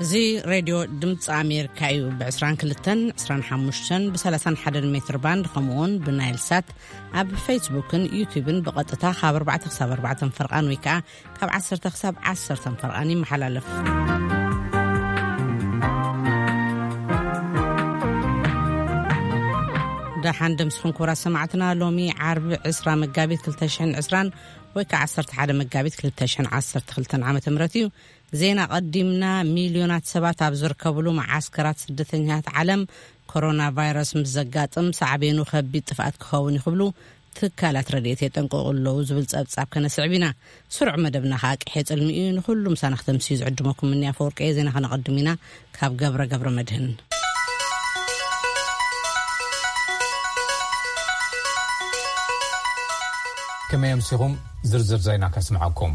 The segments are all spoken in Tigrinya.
እዚ ሬድዮ ድምፂ ኣሜሪካ እዩ። ብ22፣ 25፣ ብ31 ሜትር ባንድ፣ ከምኡውን ብናይል ሳት፣ ኣብ ፌስቡክን ዩቲዩብን ብቐጥታ ካብ 4 ክሳብ 4 ፈርቓን ወይ ከዓ ካብ 10 ክሳብ 10 ፈርቓን ይመሓላለፍ። ደሓን ደምስኹም ክቡራት ሰማዕትና። ሎሚ ዓርቢ 20 መጋቢት 2020 ወይ ከዓ 11 መጋቢት 2012 ዓ ም እዩ። ዜና ቀዲምና። ሚልዮናት ሰባት ኣብ ዝርከብሉ መዓስከራት ስደተኛታት ዓለም፣ ኮሮና ቫይረስ ምስ ዘጋጥም ሳዕቤኑ ከቢድ ጥፍኣት ክኸውን እዩ ክብሉ ትካላት ረድኤት የጠንቅቑ ኣለዉ ዝብል ጸብጻብ ከነስዕብ ኢና። ስሩዕ መደብና ከዓ ቅሔ ጽልሚ እዩ። ንኹሉ ምሳና ክተምስዩ ዝዕድመኩም ምንያ ፈወርቂ እየ። ዜና ከነቐድም ኢና። ካብ ገብረ ገብረ መድህን። ከመይ ኣምሲኹም? ዝርዝር ዜና ከስምዓኩም።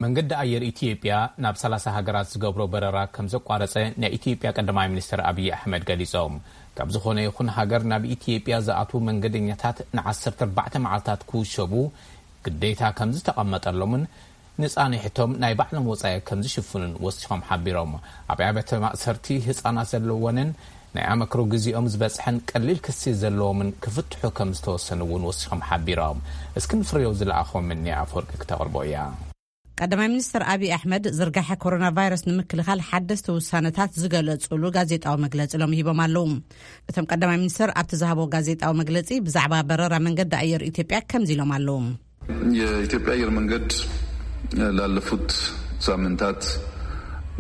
መንገዲ ኣየር ኢትዮጵያ ናብ 30 ሃገራት ዝገብሮ በረራ ከም ዘቋረጸ ናይ ኢትዮጵያ ቀዳማይ ሚኒስትር ኣብይ ኣሕመድ ገሊጾም። ካብ ዝኾነ ይኹን ሃገር ናብ ኢትዮጵያ ዝኣትዉ መንገደኛታት ን14 መዓልታት ክውሸቡ ግዴታ ከም ዝተቐመጠሎምን ንጻንሕቶም ናይ ባዕሎም ወጻኢ ከም ዝሽፍኑን ወሲኾም ሓቢሮም። ኣብ ኣብያተ ማእሰርቲ ህጻናት ዘለወንን ናይ ኣመክሮ ግዜኦም ዝበጽሐን ቀሊል ክሲ ዘለዎምን ክፍትሑ ከም ዝተወሰኑ እውን ወሲኾም ሓቢሮም። እስክንድር ፍሬው ዝለኣኾም ምንያ ኣፈወርቂ ክተቕርቦ እያ። ቀዳማይ ሚኒስትር ኣብይ ኣሕመድ ዝርጋሐ ኮሮና ቫይረስ ንምክልኻል ሓደስቲ ውሳነታት ዝገለጹሉ ጋዜጣዊ መግለጺ ሎም ሂቦም ኣለዉ። እቶም ቀዳማይ ሚኒስትር ኣብቲ ዝሃቦ ጋዜጣዊ መግለጺ ብዛዕባ በረራ መንገዲ ኣየር ኢትዮጵያ ከምዚ ኢሎም ኣለዉ። የኢትዮጵያ አየር መንገድ ላለፉት ሳምንታት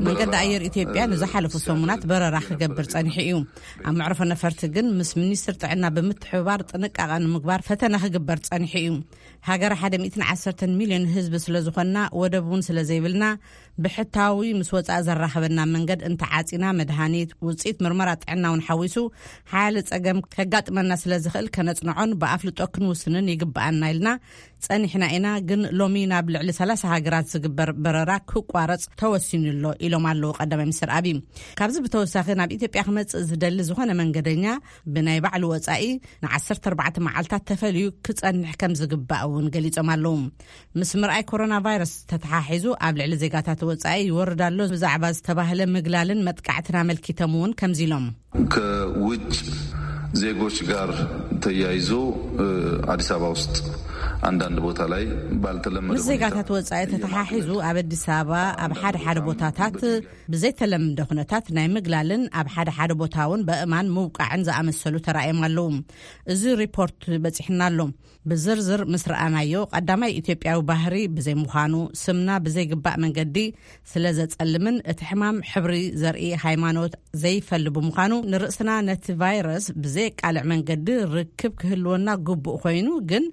መንገዲ በረራ፣ ኣየር ኢትዮጵያ እ፣ ንዝሓለፉ ሲያደርግ ሰሙናት በረራ ክገብር ጸኒሑ እዩ። ኣብ መዕረፎ ነፈርቲ ግን ምስ ሚኒስትር ጥዕና ብምትሕብባር ጥንቃቐ ንምግባር ፈተነ ክግበር ጸኒሑ እዩ። ሃገር 110 ሚልዮን ህዝቢ ስለ ዝኾንና፣ ወደብ እውን ስለ ዘይብልና፣ ብሕታዊ ምስ ወጻኢ ዘራኽበና መንገድ እንተዓጺና፣ መድሃኒት፣ ውጽኢት ምርመራ ጥዕና እውን ሓዊሱ ሓያለ ጸገም ከጋጥመና ስለ ዝኽእል፣ ከነጽንዖን ብኣፍልጦ ክንውስንን ይግብኣና ኢልና ጸኒሕና ኢና። ግን ሎሚ ናብ ልዕሊ 30 ሃገራት ዝግበር በረራ ክቋረጽ ተወሲኑ ኣሎ ኢሎም ኣለዉ ቀዳማይ ሚኒስትር ኣብይ። ካብዚ ብተወሳኺ ናብ ኢትዮጵያ ክመጽእ ዝደሊ ዝኾነ መንገደኛ ብናይ ባዕሉ ወጻኢ ን14 መዓልታት ተፈልዩ ክጸንሕ ከም ዝግባእ እውን ገሊጾም ኣለዉ። ምስ ምርኣይ ኮሮና ቫይረስ ተተሓሒዙ ኣብ ልዕሊ ዜጋታት ወጻኢ ይወርድ ኣሎ ብዛዕባ ዝተባህለ ምግላልን መጥቃዕትን ኣመልኪቶም እውን ከምዚ ኢሎም። ከውጭ ዜጎች ጋር ተያይዞ፣ እ፣ አዲስ አበባ ውስጥ አንዳንድ ቦታ ላይ ባልተለመደ ምስ ሁኔታ ዜጋታት ወጻኢ ተተሓሒዙ ኣብ ኣዲስ ኣበባ ኣብ ሓደ ሓደ ቦታታት ብዘይተለምደ ኩነታት ናይ ምግላልን ኣብ ሓደ ሓደ ቦታ እውን በእማን ምውቃዕን ዝኣመሰሉ ተራእዮም ኣለዉ። እዚ ሪፖርት በጺሕና ኣሎ። ብዝርዝር ምስ ረኣናዮ፣ ቀዳማይ ኢትዮጵያዊ ባህሪ ብዘይምዃኑ፣ ስምና ብዘይግባእ መንገዲ ስለ ዘጸልምን እቲ ሕማም ሕብሪ ዘርኢ ሃይማኖት ዘይፈሊ ብምዃኑ፣ ንርእስና ነቲ ቫይረስ ብዘየቃልዕ መንገዲ ርክብ ክህልወና ግቡእ ኮይኑ፣ ግን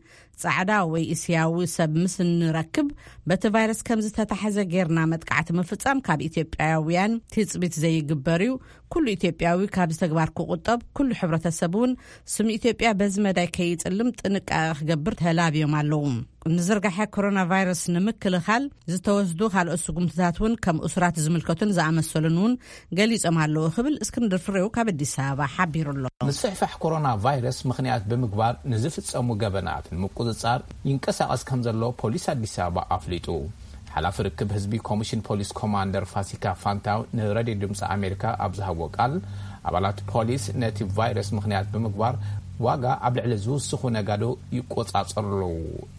ጻዕዳ ወይ እስያዊ ሰብ ምስ እንረክብ፣ በቲ ቫይረስ ከም ዝተታሕዘ ጌርና መጥቃዕቲ ምፍጻም ካብ ኢትዮጵያውያን ትጽቢት ዘይግበር እዩ። ኩሉ ኢትዮጵያዊ ካብዚ ተግባር ክቁጠብ፣ ኩሉ ሕብረተሰብ እውን ስም ኢትዮጵያ በዚ መዳይ ከይጽልም ጥንቃቐ ክገብር ተላብዮም ኣለዉ። ንዝርጋሐ ኮሮና ቫይረስ ንምክልኻል ዝተወስዱ ካልኦት ስጉምትታት እውን ከም እሱራት ዝምልከቱን ዝኣመሰሉን እውን ገሊጾም ኣለዉ ክብል እስክንድር ፍሬው ካብ ኣዲስ ኣበባ ሓቢሩ ኣሎ። ምስፍሕፋሕ ኮሮና ቫይረስ ምኽንያት ብምግባር ንዝፍጸሙ ገበናት ንምቁጽጻር ይንቀሳቐስ ከም ዘሎ ፖሊስ ኣዲስ ኣበባ ኣፍሊጡ። ሓላፊ ርክብ ህዝቢ ኮሚሽን ፖሊስ ኮማንደር ፋሲካ ፋንታው ንሬድዮ ድምፂ ኣሜሪካ ኣብ ዝሃቦ ቃል፣ ኣባላት ፖሊስ ነቲ ቫይረስ ምኽንያት ብምግባር ዋጋ ኣብ ልዕሊ ዝውስኹ ነጋዶ ይቆጻጸሩ ኣለዉ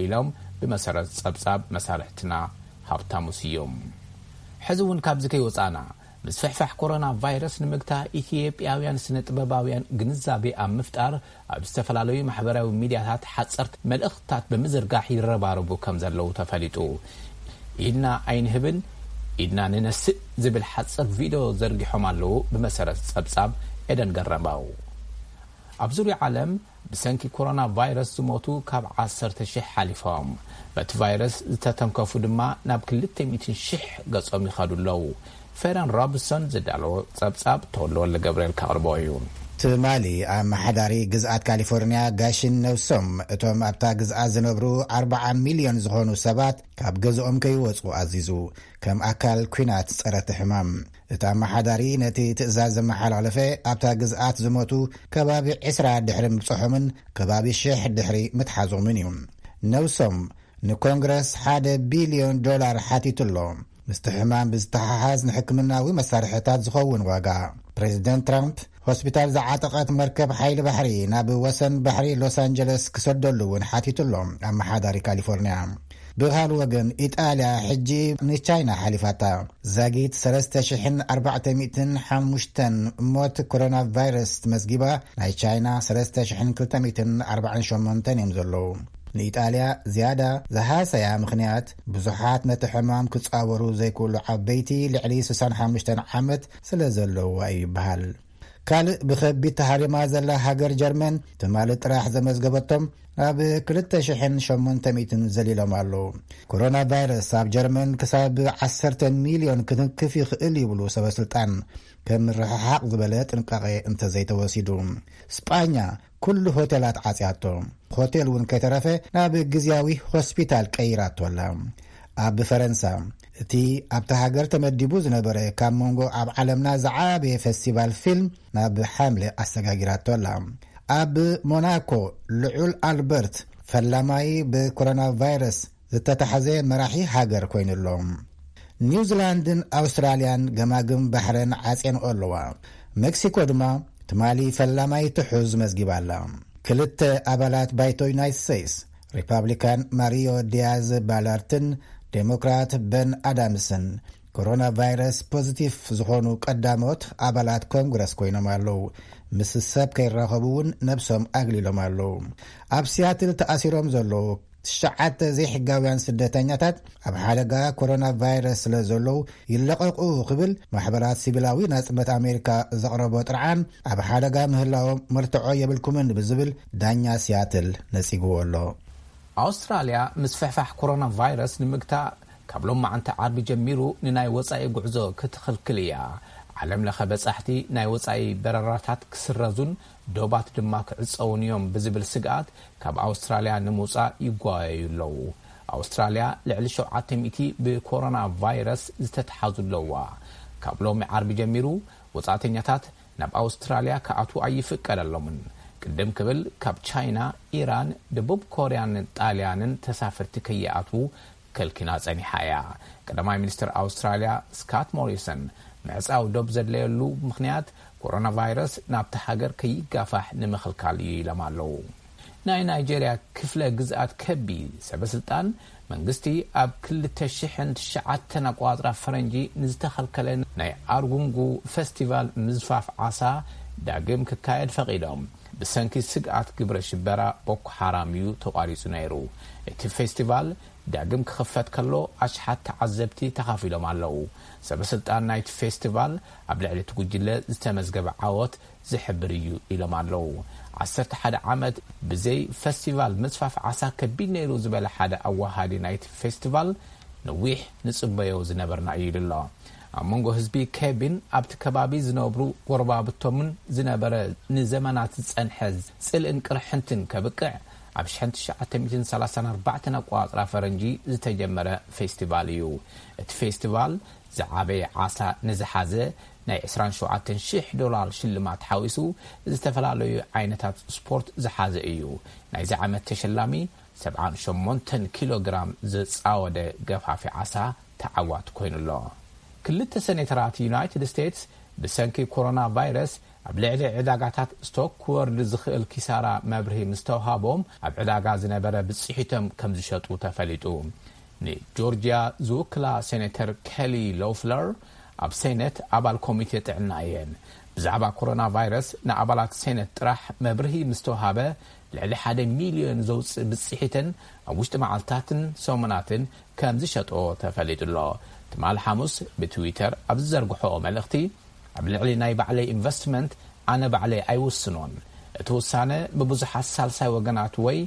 ኢሎም፣ ብመሰረት ጸብጻብ መሳርሕትና ሃብታሙ ስዮም። ሕዚ እውን ካብዚ ከይወጻና፣ ምስፍሕፋሕ ኮሮና ቫይረስ ንምግታ ኢትዮጵያውያን ስነ ጥበባውያን ግንዛቤ ኣብ ምፍጣር ኣብ ዝተፈላለዩ ማሕበራዊ ሚዲያታት ሓጸርቲ መልእኽትታት ብምዝርጋሕ ይረባረቡ ከም ዘለዉ ተፈሊጡ። ኢድና ኣይንህብን፣ ኢድና ንነስእ ዝብል ሓጽር ቪድዮ ዘርጊሖም ኣለዉ፣ ብመሰረት ጸብጻብ ኤደን ገረመው። ኣብ ዙርያ ዓለም ብሰንኪ ኮሮና ቫይረስ ዝሞቱ ካብ 10,000 ሓሊፎም፣ በቲ ቫይረስ ዝተተንከፉ ድማ ናብ 200,000 ገጾም ይኸዱ ኣለዉ። ፌረን ሮብሰን ዝዳለዎ ጸብጻብ ተወልደ ወልደ ገብርኤል ከቕርቦ እዩ። ትማሊ ኣመሓዳሪ ግዝኣት ካሊፎርኒያ ጋሽን ነውሶም፣ እቶም ኣብታ ግዝኣት ዝነብሩ 40 ሚልዮን ዝኾኑ ሰባት ካብ ገዝኦም ከይወጹ ኣዚዙ፣ ከም ኣካል ኲናት ጸረ እቲ ሕማም። እቲ ኣመሓዳሪ ነቲ ትእዛዝ ዘመሓላለፈ፣ ኣብታ ግዝኣት ዝሞቱ ከባቢ 20 ድሕሪ ምብጽሖምን ከባቢ ሽሕ ድሕሪ ምትሓዞምን እዩ። ነውሶም ንኮንግረስ ሓደ ቢልዮን ዶላር ሓቲቱ ኣሎ። ምስቲ ሕማም ብዝተሓሓዝ ንሕክምናዊ መሳርሕታት ዝኸውን ዋጋ። ፕሬዚደንት ትራምፕ ሆስፒታል ዝዓጠቐት መርከብ ሓይሊ ባሕሪ ናብ ወሰን ባሕሪ ሎስ ኣንጀለስ ክሰደሉ እውን ሓቲቱ ኣሎ ኣመሓዳሪ ካሊፎርኒያ። ብኻልእ ወገን፣ ኢጣልያ ሕጂ ንቻይና ሓሊፋታ። ዛጊት ሰለስተ ሽሕን ኣርባዕተ ሚእትን ሓሙሽተን ሞት ኮሮና ቫይረስ መዝጊባ፣ ናይ ቻይና ሰለስተ ሽሕን ክልተ ሚእትን ኣርባዓን ሸሞንተን እዮም ዘለዉ። ንኢጣልያ ዝያዳ ዝሃሰያ ምኽንያት፣ ብዙሓት ነቲ ሕማም ክጻወሩ ዘይክእሉ ዓበይቲ ልዕሊ ስሳን ሓሙሽተን ዓመት ስለ ዘለውዋ እዩ ይበሃል። ካልእ ብኸቢድ ተሃሪማ ዘላ ሃገር ጀርመን፣ ትማሊ ጥራሕ ዘመዝገበቶም ናብ ክልተ ሽሕን ሸሞንተ ሚእትን ዘሊሎም ኣለዉ። ኮሮና ቫይረስ ኣብ ጀርመን ክሳብ ዓሰርተ ሚልዮን ክትንክፍ ይኽእል ይብሉ ሰበ ስልጣን፣ ከም ምርሕሓቕ ዝበለ ጥንቃቄ እንተዘይተወሲዱ። ስጳኛ ኩሉ ሆቴላት ዓጽያቶ። ሆቴል እውን ከይተረፈ ናብ ግዝያዊ ሆስፒታል ቀይራቶ ኣላ። ኣብ ፈረንሳ፣ እቲ ኣብታ ሃገር ተመዲቡ ዝነበረ ካብ መንጎ ኣብ ዓለምና ዝዓበየ ፈስቲቫል ፊልም ናብ ሓምለ ኣሰጋጊራቶ ኣላ። ኣብ ሞናኮ፣ ልዑል ኣልበርት ፈላማይ ብኮሮና ቫይረስ ዝተታሕዘ መራሒ ሃገር ኮይኑ ኣሎ። ኒውዚላንድን ኣውስትራልያን ገማግም ባሕረን ዓጽየንኦ ኣለዋ። ሜክሲኮ ድማ ትማሊ ፈላማይ ትሑዝ መዝጊባ ኣላ። ክልተ ኣባላት ባይቶ ዩናይትድ ስቴትስ፣ ሪፓብሊካን ማሪዮ ዲያዝ ባላርትን ዴሞክራት በን ኣዳምስን፣ ኮሮና ቫይረስ ፖዚቲቭ ዝኾኑ ቀዳሞት ኣባላት ኮንግረስ ኮይኖም ኣለዉ። ምስ ሰብ ከይራኸቡ እውን ነብሶም ኣግሊሎም ኣለዉ። ኣብ ሲያትል ተኣሲሮም ዘለዉ ትሽዓተ ዘይሕጋውያን ስደተኛታት ኣብ ሓደጋ ኮሮና ቫይረስ ስለ ዘለዉ ይለቐቑ ክብል ማሕበራት ሲቪላዊ ናጽነት ኣሜሪካ ዘቕረቦ ጥርዓን ኣብ ሓደጋ ምህላዎም መርትዖ የብልኩምን ብዝብል ዳኛ ሲያትል ነጺግዎ ኣሎ። ኣውስትራልያ ምስፍሕፋሕ ኮሮና ቫይረስ ንምግታእ ካብ ሎማዓንቲ ዓርቢ ጀሚሩ ንናይ ወጻኢ ጉዕዞ ክትኽልክል እያ። ዓለም ለኸ በጻሕቲ ናይ ወጻኢ በረራታት ክስረዙን ዶባት ድማ ክዕጸውን እዮም ብዝብል ስግኣት ካብ ኣውስትራልያ ንምውጻእ ይጓየዩ ኣለዉ። ኣውስትራልያ ልዕሊ ሸውዓተ ሚእቲ ብኮሮና ቫይረስ ዝተተሓዙ ኣለዋ። ካብ ሎሚ ዓርቢ ጀሚሩ ወጻእተኛታት ናብ ኣውስትራልያ ክኣትዉ ኣይፍቀደሎምን። ቅድም ክብል ካብ ቻይና፣ ኢራን፣ ደቡብ ኮርያን ጣልያንን ተሳፈርቲ ከይኣትዉ ከልኪና ጸኒሓ እያ። ቀዳማይ ሚኒስትር ኣውስትራልያ ስካት ሞሪሰን ምዕጻው ዶብ ዘድለየሉ ምኽንያት ኮሮና ቫይረስ ናብቲ ሃገር ከይጋፋሕ ንምኽልካል እዩ ኢሎም ኣለዉ። ናይ ናይጄርያ ክፍለ ግዝኣት ከቢ ሰበ ስልጣን መንግስቲ ኣብ ክልተ ሽሕን ትሽዓተን ኣቋጽራ ፈረንጂ ንዝተኸልከለ ናይ ኣርጉንጉ ፈስቲቫል ምዝፋፍ ዓሳ ዳግም ክካየድ ፈቒዶም። ብሰንኪ ስግኣት ግብረ ሽበራ ቦኮ ሓራም እዩ ተቋሪጹ ነይሩ። እቲ ፌስቲቫል ዳግም ክኽፈት ከሎ ኣሽሓት ተዓዘብቲ ተኻፊሎም ኣለዉ። ሰበ ስልጣን ናይቲ ፌስቲቫል ኣብ ልዕሊ እቲ ጉጅለ ዝተመዝገበ ዓወት ዝሕብር እዩ ኢሎም ኣለዉ። ዓሰርተ ሓደ ዓመት ብዘይ ፈስቲቫል ምስፋፍ ዓሳ ከቢድ ነይሩ ዝበለ ሓደ ኣዋሃዲ ናይቲ ፌስቲቫል፣ ነዊሕ ንጽበዮ ዝነበርና እዩ ኢሉ ኣሎ። ኣብ መንጎ ህዝቢ ኬቢን ኣብቲ ከባቢ ዝነብሩ ጎረባብቶምን ዝነበረ ንዘመናት ዝጸንሐ ጽልእን ቅርሕንትን ከብቅዕ ኣብ ሽሕን ትሽዓተ ሚእትን ሰላሳን ኣርባዕተን ኣቋጽራ ፈረንጂ ዝተጀመረ ፌስቲቫል እዩ። እቲ ፌስቲቫል ዝዓበየ ዓሳ ንዝሓዘ ናይ ዕስራን ሸውዓተን ሽሕ ዶላር ሽልማት ሓዊሱ ዝተፈላለዩ ዓይነታት ስፖርት ዝሓዘ እዩ። ናይዚ ዓመት ተሸላሚ ሰብዓን ሸሞንተን ኪሎ ግራም ዝጻወደ ገፋፊ ዓሳ ተዓዋቲ ኮይኑ ኣሎ። ክልተ ሴኔተራት ዩናይትድ ስቴትስ ብሰንኪ ኮሮና ቫይረስ ኣብ ልዕሊ ዕዳጋታት ስቶክ ክወርድ ዝኽእል ኪሳራ መብርሂ ምስ ተውሃቦም፣ ኣብ ዕዳጋ ዝነበረ ብጽሒቶም ከም ዝሸጡ ተፈሊጡ። ንጆርጅያ ዝውክላ ሴኔተር ኬሊ ሎፍለር ኣብ ሴኔት ኣባል ኮሚቴ ጥዕና እየን። ብዛዕባ ኮሮና ቫይረስ ንኣባላት ሴኔት ጥራሕ መብርሂ ምስ ተውሃበ፣ ልዕሊ ሓደ ሚልዮን ዘውጽእ ብጽሒተን ኣብ ውሽጢ መዓልታትን ሰሙናትን ከም ዝሸጥኦ ተፈሊጡ ኣሎ። ትማሊ ሓሙስ ብትዊተር ኣብ ዝዘርግሖኦ መልእኽቲ፣ ኣብ ልዕሊ ናይ ባዕለይ ኢንቨስትመንት ኣነ ባዕለይ ኣይውስኖን። እቲ ውሳነ ብብዙሓት ሳልሳይ ወገናት ወይ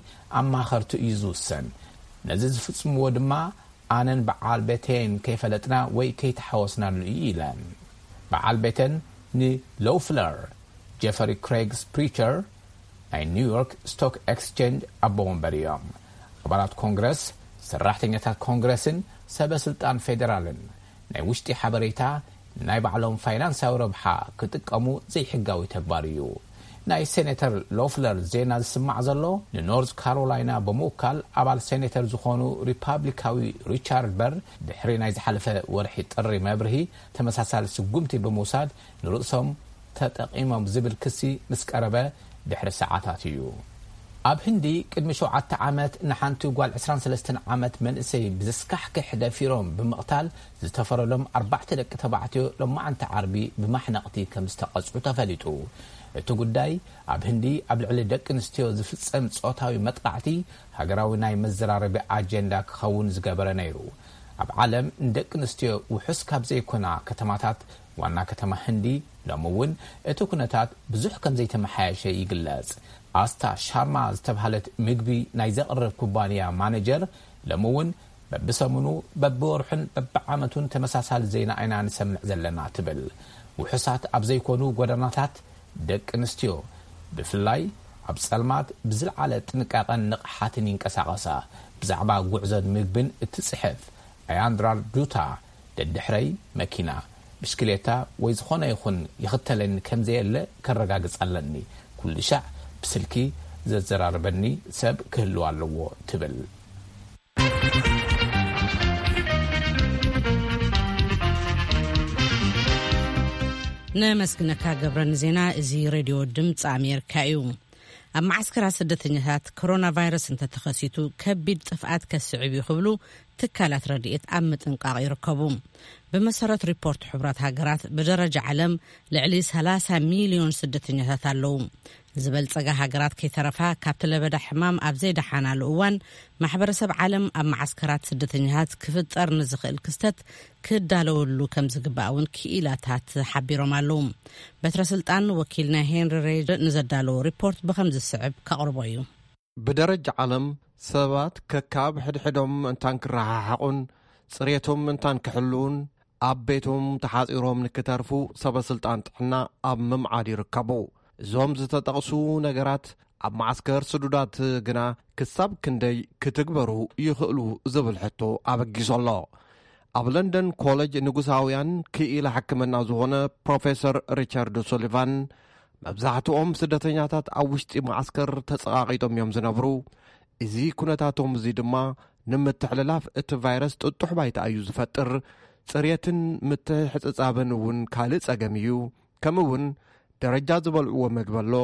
ኣማኸርቲ እዩ ዝውሰን። ነዚ ዝፍጽምዎ ድማ ኣነን በዓል ቤተይን ከይፈለጥና ወይ ከይተሓወስናሉ እዩ ኢለን። በዓል ቤተን ንሎፍለር፣ ጀፈሪ ክሬግስ ፕሪቸር ናይ ኒውዮርክ ስቶክ ኤክስቼንጅ ኣቦ ወንበር እዮም። ኣባላት ኮንግረስ፣ ሰራሕተኛታት ኮንግረስን ሰበ ስልጣን ፌዴራልን ናይ ውሽጢ ሓበሬታ ናይ ባዕሎም ፋይናንሳዊ ረብሓ ክጥቀሙ ዘይሕጋዊ ተግባር እዩ። ናይ ሴኔተር ሎፍለር ዜና ዝስማዕ ዘሎ፣ ንኖርዝ ካሮላይና ብምውካል ኣባል ሴኔተር ዝኾኑ ሪፓብሊካዊ ሪቻርድ በር፣ ድሕሪ ናይ ዝሓለፈ ወርሒ ጥሪ መብርሂ፣ ተመሳሳሊ ስጉምቲ ብምውሳድ ንርእሶም ተጠቒሞም ዝብል ክሲ ምስ ቀረበ ድሕሪ ሰዓታት እዩ። ኣብ ህንዲ ቅድሚ ሸውዓተ ዓመት ንሓንቲ ጓል ዕስራን ሰለስተን ዓመት መንእሰይ ብዘስካሕክሕ ደፊሮም ብምቕታል ዝተፈረዶም ኣርባዕተ ደቂ ተባዕትዮ ሎማዓንቲ ዓርቢ ብማሕነቕቲ ከም ዝተቐጽዑ ተፈሊጡ። እቲ ጉዳይ ኣብ ህንዲ ኣብ ልዕሊ ደቂ ኣንስትዮ ዝፍጸም ጾታዊ መጥቃዕቲ ሃገራዊ ናይ መዘራረቢ ኣጀንዳ ክኸውን ዝገበረ ነይሩ። ኣብ ዓለም ንደቂ ኣንስትዮ ውሑስ ካብ ዘይኮና ከተማታት ዋና ከተማ ህንዲ ሎሚ እውን እቲ ኩነታት ብዙሕ ከም ዘይተመሓየሸ ይግለጽ። ኣስታ ሻርማ ዝተባህለት ምግቢ ናይ ዘቕርብ ኩባንያ ማነጀር ሎሚ እውን በብሰሙኑ በብወርሑን በብዓመቱን ተመሳሳሊ ዜና ኢና ንሰምዕ ዘለና ትብል። ውሑሳት ኣብ ዘይኮኑ ጎደናታት ደቂ ኣንስትዮ ብፍላይ ኣብ ጸልማት ብዝለዓለ ጥንቃቐን ንቕሓትን ይንቀሳቐሳ። ብዛዕባ ጉዕዞን ምግብን እትጽሕፍ ኣያንድራር ዱታ፣ ደድሕረይ መኪና፣ ብሽክሌታ ወይ ዝኾነ ይኹን ይኽተለኒ ከም ዘየለ ከረጋግጽ ኣለኒ። ኩሉ ሻዕ ብስልኪ ዘዘራርበኒ ሰብ ክህልው ኣለዎ ትብል። ነመስግነካ ገብረ ንዜና። እዚ ሬድዮ ድምፂ ኣሜሪካ እዩ። ኣብ መዓስከራት ስደተኛታት ኮሮና ቫይረስ እንተተኸሲቱ ከቢድ ጥፍኣት ከስዕብ እዩ ክብሉ ትካላት ረድኤት ኣብ ምጥንቃቕ ይርከቡ። ብመሰረት ሪፖርት ሕቡራት ሃገራት ብደረጃ ዓለም ልዕሊ ሰላሳ ሚልዮን ስደተኛታት ኣለዉ። ዝበልጸጋ ሃገራት ከይተረፋ ካብቲ ለበዳ ሕማም ኣብ ዘይደሓናሉ እዋን ማሕበረሰብ ዓለም ኣብ መዓስከራት ስደተኛታት ክፍጠር ንዝኽእል ክስተት ክዳለወሉ ከም ዝግባእ እውን ክኢላታት ሓቢሮም ኣለዉ። በትረ ስልጣን ወኪልና ሄንሪ ሬይድ ንዘዳለዎ ሪፖርት ብኸም ዝስዕብ ከቕርቦ እዩ። ብደረጃ ዓለም ሰባት ከካብ ሕድሕዶም እንታን ክረሓሓቑን ጽሬቶም እንታን ክሕልውን ኣብ ቤቶም ተሓጺሮም ንክተርፉ ሰበ ስልጣን ጥዕና ኣብ ምምዓድ ይርከቡ። እዞም ዝተጠቕሱ ነገራት ኣብ መዓስከር ስዱዳት ግና ክሳብ ክንደይ ክትግበሩ ይኽእሉ ዝብል ሕቶ ኣበጊሱ ኣሎ። ኣብ ለንደን ኮሌጅ ንጉሳውያን ክኢላ ሕክምና ዝኾነ ፕሮፌሰር ሪቻርድ ሱሊቫን መብዛሕትኦም ስደተኛታት ኣብ ውሽጢ መዓስከር ተጸቓቒጦም እዮም ዝነብሩ። እዚ ኩነታቶም እዚ ድማ ንምትሕልላፍ እቲ ቫይረስ ጥጡሕ ባይታ እዩ ዝፈጥር። ጽሬትን ምትሕጽጻብን እውን ካልእ ጸገም እዩ። ከምኡ እውን ደረጃ ዝበልዕዎ መግቢ ኣሎ።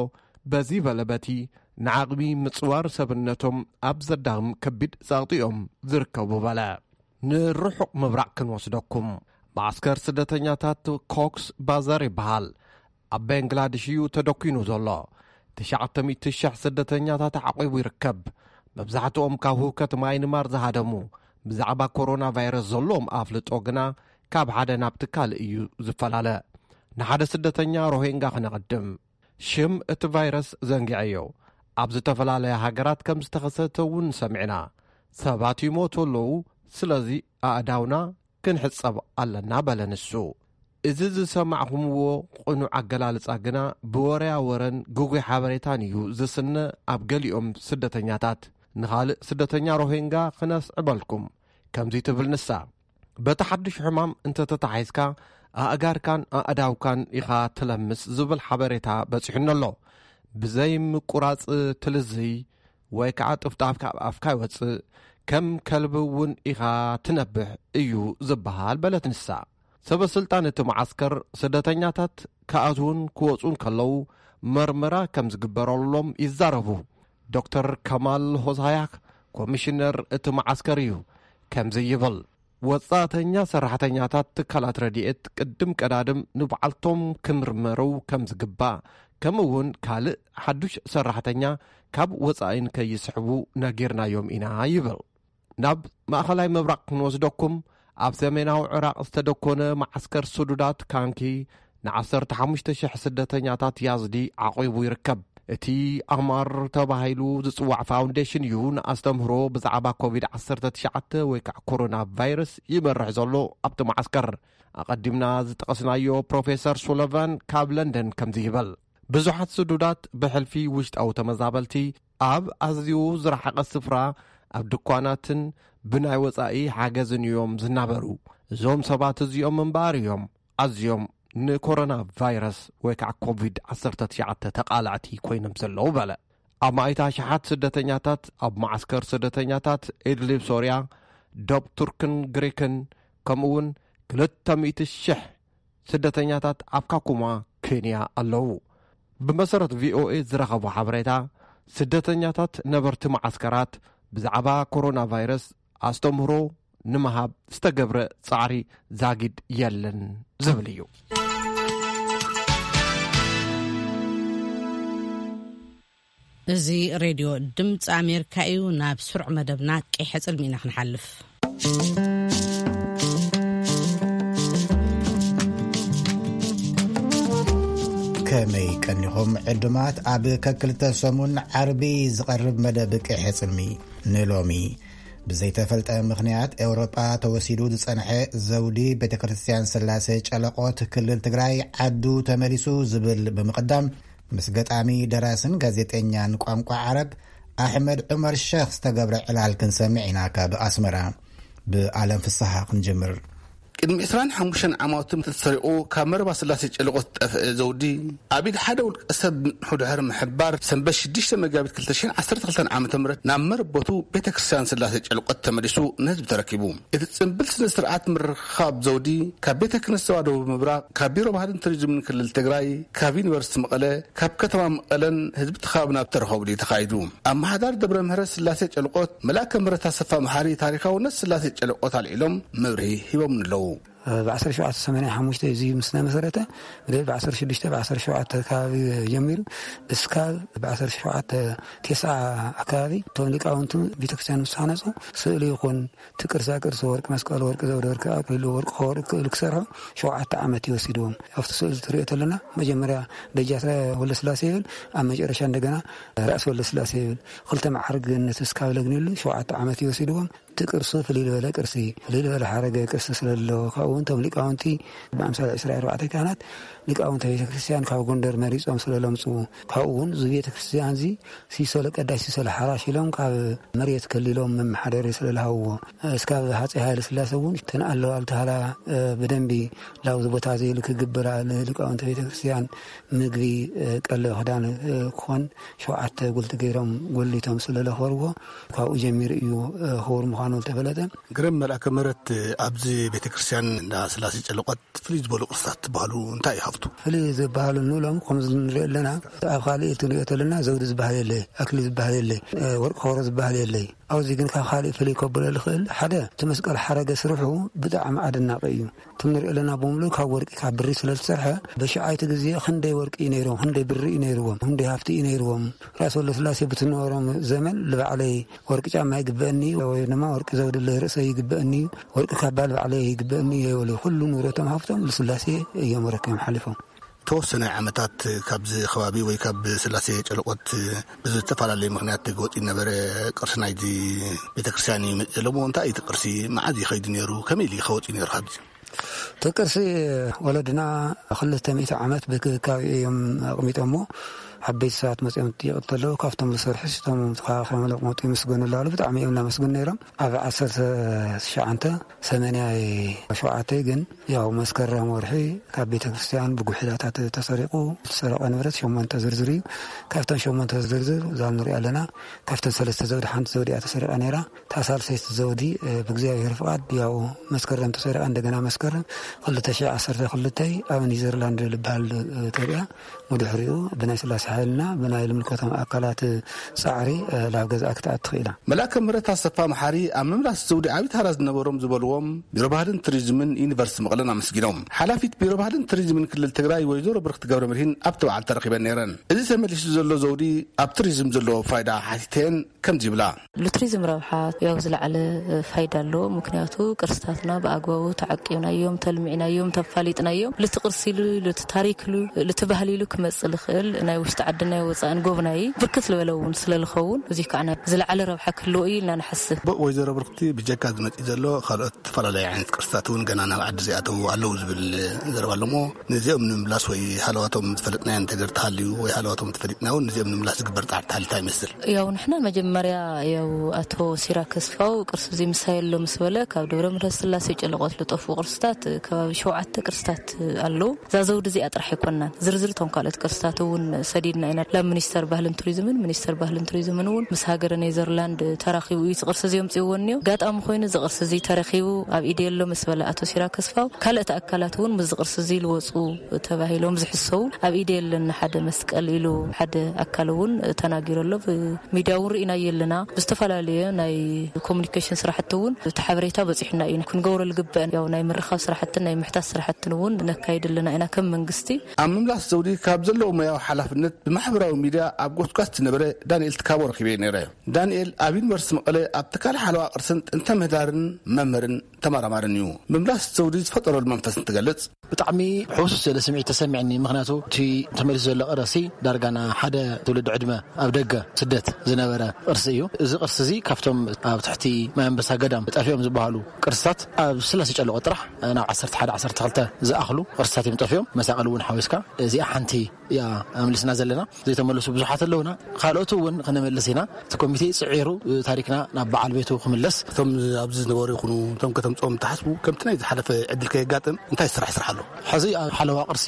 በዚ በለ በቲ ንዓቕሚ ምጽዋር ሰብነቶም ኣብ ዘዳኽም ከቢድ ጸቕጢ እዮም ዝርከቡ በለ። ንርሑቕ ምብራቕ ክንወስደኩም። ማዕስከር ስደተኛታት ኮክስ ባዛር ይበሃል። ኣብ ባንግላድሽ እዩ ተደኪኑ ዘሎ። ትሽዓተ ሚእቲ ሽሕ ስደተኛታት ዓቒቡ ይርከብ። መብዛሕትኦም ካብ ህውከት ማይንማር ዝሃደሙ፣ ብዛዕባ ኮሮና ቫይረስ ዘለዎም ኣፍልጦ ግና ካብ ሓደ ናብቲ ካልእ እዩ ዝፈላለ። ንሓደ ስደተኛ ሮሂንጋ ክነቐድም። ሽም እቲ ቫይረስ ዘንጊዐዮ። ኣብ ዝተፈላለያ ሃገራት ከም ዝተኸሰተ እውን ሰሚዕና። ሰባት ይሞቱ ኣለዉ። ስለዚ ኣእዳውና ክንሕጸብ ኣለና በለ ንሱ። እዚ ዝሰማዕኹምዎ ቅኑዕ ኣገላልጻ ግና ብወረያ ወረን ግጉይ ሓበሬታን እዩ ዝስነ። ኣብ ገሊኦም ስደተኛታት፣ ንኻልእ ስደተኛ ሮሂንጋ ክነስዕበልኩም፣ ከምዚ ትብል ንሳ። በቲ ሓድሽ ሕማም እንተተታሒዝካ ኣእጋርካን ኣእዳውካን ኢኻ ትለምስ ዝብል ሓበሬታ በጺሑኒ ኣሎ። ብዘይ ምቁራጽ ትልዝይ ወይ ከዓ ጥፍጣፍ ካብ ኣፍካ ይወጽእ፣ ከም ከልቢ እውን ኢኻ ትነብሕ እዩ ዝበሃል በለት ንሳ። ሰበ ስልጣን እቲ መዓስከር ስደተኛታት ክኣትዉን ክወጹን ከለዉ መርመራ ከም ዝግበረሎም ይዛረቡ። ዶክተር ከማል ሆሳያክ ኮሚሽነር እቲ መዓስከር እዩ። ከምዚ ይብል። ወጻእተኛ ሰራሕተኛታት ትካላት ረድኤት ቅድም ቀዳድም ንባዕልቶም ክምርመሩ ከም ዝግባእ፣ ከምኡ እውን ካልእ ሓዱሽ ሰራሕተኛ ካብ ወጻኢ ንከይስሕቡ ነጊርናዮም ኢና ይብል። ናብ ማእኸላይ ምብራቕ ክንወስደኩም፣ ኣብ ሰሜናዊ ዕራቕ ዝተደኮነ መዓስከር ስዱዳት ካንኪ ንዓሰርተ ሓሙሽተ ሽሕ ስደተኛታት ያዝዲ ዓቒቡ ይርከብ። እቲ ኣማር ተባሂሉ ዝጽዋዕ ፋውንዴሽን እዩ ንኣስተምህሮ ብዛዕባ ኮቪድ ዓሰርተ ትሽዓተ ወይ ከዓ ኮሮና ቫይረስ ይመርሕ ዘሎ ኣብቲ መዓስከር። ኣቐዲምና ዝጠቐስናዮ ፕሮፌሰር ሱለቫን ካብ ለንደን ከምዚ ይበል። ብዙሓት ስዱዳት ብሕልፊ ውሽጣዊ ተመዛበልቲ ኣብ ኣዝዩ ዝረሓቐ ስፍራ ኣብ ድኳናትን ብናይ ወጻኢ ሓገዝን እዮም ዝናበሩ። እዞም ሰባት እዚኦም እምበኣር እዮም ኣዝዮም ንኮሮና ቫይረስ ወይ ከዓ ኮቪድ ዓሰርተ ትሽዓተ ተቓላዕቲ ኮይኖም ዘለዉ በለ። ኣማኢት ኣሽሓት ስደተኛታት ኣብ መዓስከር ስደተኛታት ኢድሊብ ሶርያ፣ ዶብ ቱርክን ግሪክን፣ ከምኡ እውን ክልተ ሚእቲ ሽሕ ስደተኛታት ኣብ ካኩማ ኬንያ ኣለዉ። ብመሰረት ቪኦኤ ዝረኸቦ ሓበሬታ፣ ስደተኛታት ነበርቲ መዓስከራት ብዛዕባ ኮሮና ቫይረስ ኣስተምህሮ ንምሃብ ዝተገብረ ጻዕሪ ዛጊድ የለን ዝብል እዩ። እዚ ሬድዮ ድምፂ ኣሜሪካ እዩ። ናብ ስሩዕ መደብና ቀይሐ ጽልሚ ኢና ክንሓልፍ። ከመይ ቀኒኹም ዕዱማት? ኣብ ከክልተ ሰሙን ዓርቢ ዝቐርብ መደብ ቀይሐ ጽልሚ ንሎሚ፣ ብዘይተፈልጠ ምኽንያት ኤውሮጳ ተወሲዱ ዝጸንሐ ዘውዲ ቤተ ክርስቲያን ስላሴ ጨለቆት ክልል ትግራይ ዓዱ ተመሊሱ ዝብል ብምቕዳም፣ ምስ ገጣሚ ደራስን ጋዜጠኛን ቋንቋ ዓረብ ኣሕመድ ዑመር ሸኽ ዝተገብረ ዕላል ክንሰምዕ ኢና። ካብ ኣስመራ ብኣለም ፍስሓ ክንጅምር። ቅድሚ ዕስራን ሓሙሽተን ዓማውቲ ተሰሪቑ ካብ መረባ ስላሴ ጨለቆት ዝጠፍአ ዘውዲ፣ ኣብ ኢድ ሓደ ውልቀ ሰብ ምጽንሑ ድሕሪ ምሕባር፣ ሰንበት ሽዱሽተ መጋቢት ክልተ ሽሕን ዓሰርተ ክልተን ዓመተ ምህረት ናብ መረበቱ ቤተ ክርስቲያን ስላሴ ጨለቆት ተመሊሱ ንህዝቢ ተረኪቡ። እቲ ጽምብል ስነ ስርዓት ምርኻብ ዘውዲ፣ ካብ ቤተ ክህነት ዞባ ደቡብ ምብራቕ፣ ካብ ቢሮ ባህልን ቱሪዝምን ክልል ትግራይ፣ ካብ ዩኒቨርሲቲ መቐለ፣ ካብ ከተማ መቐለን ህዝቢ እቲ ከባብን ኣብ ተረኸብሉ እዩ ተኻይዱ። ኣመሓዳሪ ደብረ ምህረት ስላሴ ጨልቆት፣ መልኣከ ምህረት ኣሰፋ መሓሪ፣ ታሪኻውነት ስላሴ ጨልቆት ኣልዒሎም መብርሂ ሂቦም ኣለዉ። ብ ዓሰርተ ሸውዓተ ሰማንያ ሓሙሽተ እዚ ምስ ተመሰረተ፣ ብደ ብ ዓሰርተ ሽዱሽተ፣ ብ ዓሰርተ ሸውዓተ ከባቢ ጀሚሩ፣ እስካብ ብ ዓሰርተ ሸውዓተ ተስዓ ኣካባቢ፣ እቶም ሊቃውንቱ ቤተክርስትያን ምስ ተሃነጹ፣ ስእሊ ይኹን፣ እቲ ቅርሳ ቅርሲ፣ ወርቂ መስቀል፣ ወርቂ ዘውዲ፣ ወርቂ ኣክሊሉ፣ ወርቂ ከወርቂ ክእሉ ክሰርሑ ሸውዓተ ዓመት ይወሲድዎም። ኣብቲ ስእሊ ትሪኦ ተለና፣ መጀመርያ ደጃት ወልደስላሴ ይብል፣ ኣብ መጨረሻ እንደገና ራእሲ ወልደስላሴ ይብል። ክልተ መዓርግ ነቲ እስካብ ለግኒሉ ሸውዓተ ዓመት ይወሲድዎም። እቲ ቅርሱ ፍልይ ዝበለ ቅርሲ፣ ፍልይ ዝበለ ሓረገ ቅርሲ ስለ ዘለዎ፣ ካብኡ እውን እቶም ሊቃውንቲ ብኣምሳል ዕስራ ኣርባዕተ ካህናት ሊቃውንተ ቤተ ክርስቲያን ካብ ጎንደር መሪጾም ስለ ለምጽኡ፣ ካብኡ እውን እዚ ቤተ ክርስቲያን እዚ ሲሶ ለቀዳሽ ሲሶ ለሓራሽ ኢሎም ካብ መሬት ከሊሎም መመሓደሪ ስለ ለሃብዎ፣ እስካብ ሃፀይ ሃይለ ስላሴ እውን እተን ኣለዋ ልተሃላ፣ እ፣ ብደንቢ ላብዚ ቦታ እዚ ኢሉ ክግብር፣ ሊቃውንተ ቤተ ክርስቲያን ምግቢ፣ እ፣ ቀለብ ክዳን፣ እ፣ ክኾን ሸውዓተ ጉልቲ ገይሮም ጎሊቶም ስለ ለኸርዎ፣ ካብኡ ጀሚሩ እዩ፣ እ፣ ክቡር ምዃኑ ዝተፈለጠ። ግርም መልኣከ ምህረት፣ ኣብዚ ቤተ ክርስቲያን እንዳ ስላሴ ጨለቆት ፍልይ ዝበሉ ቅርስታት ዝበሃሉ እንታይ እዩ ሃፍቱ? ፍልይ ዝበሃሉ ንብሎም ከምዚ ንሪኦ ኣለና፣ ኣብ ካልእ እቲ ንሪኦ ተለና ዘውዲ ዝበሃል የለ፣ ኣክሊል ዝበሃል የለ፣ እ፣ ወርቂ ከበሮ ዝበሃል የለ። ኣብዚ ግን ካብ ካልእ ፍልይ ከብሎ ዝኽእል ሓደ እቲ መስቀል ሓረገ ስርሑ ብጣዕሚ ኣደናቂ እዩ። እቲ ንሪኦ ኣለና ብምሉእ ካብ ወርቂ ካብ ብሪ ስለ ዝተሰርሐ በሽዓይቲ ግዜ ክንደይ ወርቂ እዩ ነይሮም፣ ክንደይ ብሪ እዩ ነይርዎም፣ ክንደይ ሃፍቲ እዩ ነይርዎም። ራእሲ ወልደስላሴ ብትነበሮም ዘመን ልባዕለይ ወርቂ ጫማ ይግበአኒ ወይ ድማ ወርቂ ዘውዲ ለርእሰይ ይግበአኒ፣ ወርቂ ካባ ልባዕለይ ይግበአኒ የበሉ። ኩሉ ንብረቶም ሃፍቶም ልስላሴ እዮም ረኪቦም ሓሊፎም። ተወሰነ ዓመታት ካብዚ ከባቢ ወይ ካብ ስላሴ ጨለቆት ብዝተፈላለየ ምኽንያት ወፂኡ ነበረ። ቅርሲ ናይዚ ቤተክርስትያን እዩ መፅእ ኣለዎ። እንታይ እዩ እቲ ቅርሲ? መዓዝ እዩ ከይዱ ነይሩ? ከመይ ኢሉ እዩ ከወፅኡ ነይሩ ካብዚ? እቲ ቅርሲ ወለድና ክልተ ሚእቲ ዓመት ብክብካብ እዮም ኣቕሚጦሞ። ዓበይቲ ሰባት መፅኦም ይጥይቕ እንተለዉ ካብቶም ዝሰርሑ እቶም ተኸባኺቦም ለቕመጡ ይምስገኑ ኣለዉ። ብጣዕሚ እዮም እናመስግኑ ነይሮም። ኣብ ዓሰርተ ትሽዓተ ሰማንያ ሸውዓተ ግን ያው መስከረም ወርሒ ካብ ቤተ ክርስቲያን ብጉሒላታት ተሰሪቑ ዝተሰረቐ ንብረት ሸሞንተ ዝርዝር እዩ። ካብተን ሸሞንተ ዝርዝር እዛ ንሪኣ ኣለና ካብተን ሰለስተ ዘውዲ ሓንቲ ዘውዲ እያ ተሰሪቓ ነይራ። እታ ሳልሰይቲ ዘውዲ፣ እ፣ ብእግዚኣብሔር ፍቓድ ያው መስከረም ተሰሪቓ፣ እንደገና መስከረም ክልተ ሽሕ ዓሰርተ ክልተ ኣብ ኒዘርላንድ ልበሃል፣ እ፣ ተሪኣ። ብድሕሪኡ ብናይ ስላሴ ሓይልና ብናይ ልምልከቶም ኣካላት ጻዕሪ፣ እ፣ ላብ ገዝኣ ክትኣቱ ክኢላ። መልኣከ ምህረት ኣሰፋ መሓሪ ኣብ ምምላስ ዘውዲ ዓቢ ተራ ዝነበሮም ዝበልዎም ቢሮ ባህልን ቱሪዝምን ዩኒቨርሲቲ መቐለን ኣመስጊኖም። ሓላፊት ቢሮ ባህልን ቱሪዝምን ክልል ትግራይ ወይዘሮ ብርክቲ ገብረ መድሂን ኣብቲ በዓል ተረኺበን ነይረን። እዚ ተመሊሱ ዘሎ ዘውዲ ኣብ ቱሪዝም ዘለዎ ፋይዳ ሓቲተን ከምዚ ይብላ። ልቱሪዝም ረብሓ ያው ዝለዓለ ፋይዳ ኣለዎ። ምክንያቱ ቅርስታትና ብኣግባቡ ተዓቂብናዮም፣ ተልሚዕናዮም፣ ተፋሊጥናዮም፣ ልቲ ቅርሲ ኢሉ፣ ልቲ ታሪክ ኢሉ፣ ልቲ ባህሊ ኢሉ ክመጽእ ልኽእል ናይ ውሽጢ ዓዲ ናይ ወፃእን ጎብናይ ብርክት ዝበለ እውን ስለዝኸውን፣ እዚ ከዓ ናይ ዝለዓለ ረብሓ ክህልዎ እዩ ኢልና ንሓስብ። ብ-፣ ወይዘሮ ብርክቲ፣ ብጀካ ዝመፅእ ዘሎ ካልኦት ዝተፈላለዩ ዓይነት ቅርስታት እውን ገና ናብ ዓዲ ዘይኣተዉ ኣለዉ ዝብል ዘረባ ኣለሞ። ነዚኦም ንምምላስ ወይ ሃለዋቶም ዝፈለጥናዮ እንተገር ተሃልዩ ወይ ሃለዋቶም ተፈሊጥና እውን ነዚኦም ንምምላስ ዝግበር ፃዕሪ ተሃልታ ይመስል። ያው ንሕና መጀመርያ ያው ኣቶ ሲራክ ኣስፋው ቅርሲ እዚ ምሳይ ኣሎ ምስ በለ፣ ካብ ደብረ ምሕረት ስላሴ ጨለቆት ልጠፉ ቅርስታት ከባቢ ሸውዓተ ቅርስታት ኣለዉ። እዛ ዘውዲ እዚኣ ጥራሕ ኣይኮናን፣ ዝርዝር እቶም ካልኦት ቅርስታት እውን ሰዲድና ኢና። ላብ ሚኒስተር ባህልን ቱሪዝምን፣ ሚኒስተር ባህልን ቱሪዝምን እውን ምስ ሃገረ ኔዘርላንድ ተራኺቡ እዩ እዚ ቅርሲ እዚ ኣምፅእዎ እኒኦ። ኣጋጣሚ ኮይኑ እዚ ቅርሲ እዚ ተረኺቡ ኣብ ኢደ ኣሎ ምስ በለ ኣቶ ሲራክ ኣስፋው፣ ካልኦት ኣካላት እውን ምስዚ ቅርሲ እዚ ልወፁ ተባሂሎም ዝሕሰቡ፣ ኣብ ኢደ የለን ሓደ መስቀል ኢሉ ሓደ ኣካል እውን ተናጊሩ ኣሎ። ብሚድያ እውን ርኢናዮ ኣለና። ብዝተፈላለየ ናይ ኮሙኒኬሽን ስራሕቲ እውን እቲ ሓበሬታ በፂሑና እዩ። ክንገብሮ ዝግበአን ያው ናይ ምርኻብ ስራሕትን ናይ ምሕታት ስራሕትን እውን ነካይድ ኣለና ኢና ከም መንግስቲ። ኣብ ምምላስ ዘውዲ ካብ ዘለዎ ሞያዊ ሓላፍነት ብማሕበራዊ ሚድያ ኣብ ጎስጓስ ዝነበረ ዳንኤል ትካቦ ረኺበዮ ነይረ። ዳንኤል ኣብ ዩኒቨርሲቲ መቐለ ኣብ ትካል ሓለዋ ቅርስን ጥንተ ምህዳርን መምህርን ተመራማርን እዩ። ምምላስ ዘውዲ ዝፈጠረሉ መንፈስ እንትገልጽ፣ ብጣዕሚ ሕውስ ዝበለ ስምዒት ተሰሚዕኒ። ምኽንያቱ እቲ ተመሊሱ ዘሎ ቅርሲ ዳርጋ ና ሓደ ትውልዲ ዕድመ ኣብ ደገ ስደት ዝነበረ ቅርሲ እዩ። እዚ ቅርሲ እዚ ካብቶም ኣብ ትሕቲ ማይ ኣንበሳ ገዳም ጠፊኦም ዝበሃሉ ቅርስታት ኣብ ስላሴ ጨለቆ ጥራሕ ናብ ዓሰርተ ሓደ ዓሰርተ ክልተ ዝኣኽሉ ቅርስታት እዮም ጠፊኦም። መሳቕል እውን ሓዊስካ እዚኣ ሓንቲ እያ ኣምልስና ዘለና። ዘይተመለሱ ብዙሓት ኣለውና። ካልኦት እውን ክነመልስ ኢና። እቲ ኮሚቴ ጽዒሩ ታሪክና ናብ በዓል ቤቱ ክምለስ። እቶም ኣብዚ ዝነበሩ ይኹኑ እቶም ከተምፅኦም ትሓስቡ፣ ከምቲ ናይ ዝሓለፈ ዕድል ከየጋጥም እንታይ ስራሕ ይስራሕ ኣሎ? ሕዚ ኣብ ሓለዋ ቅርሲ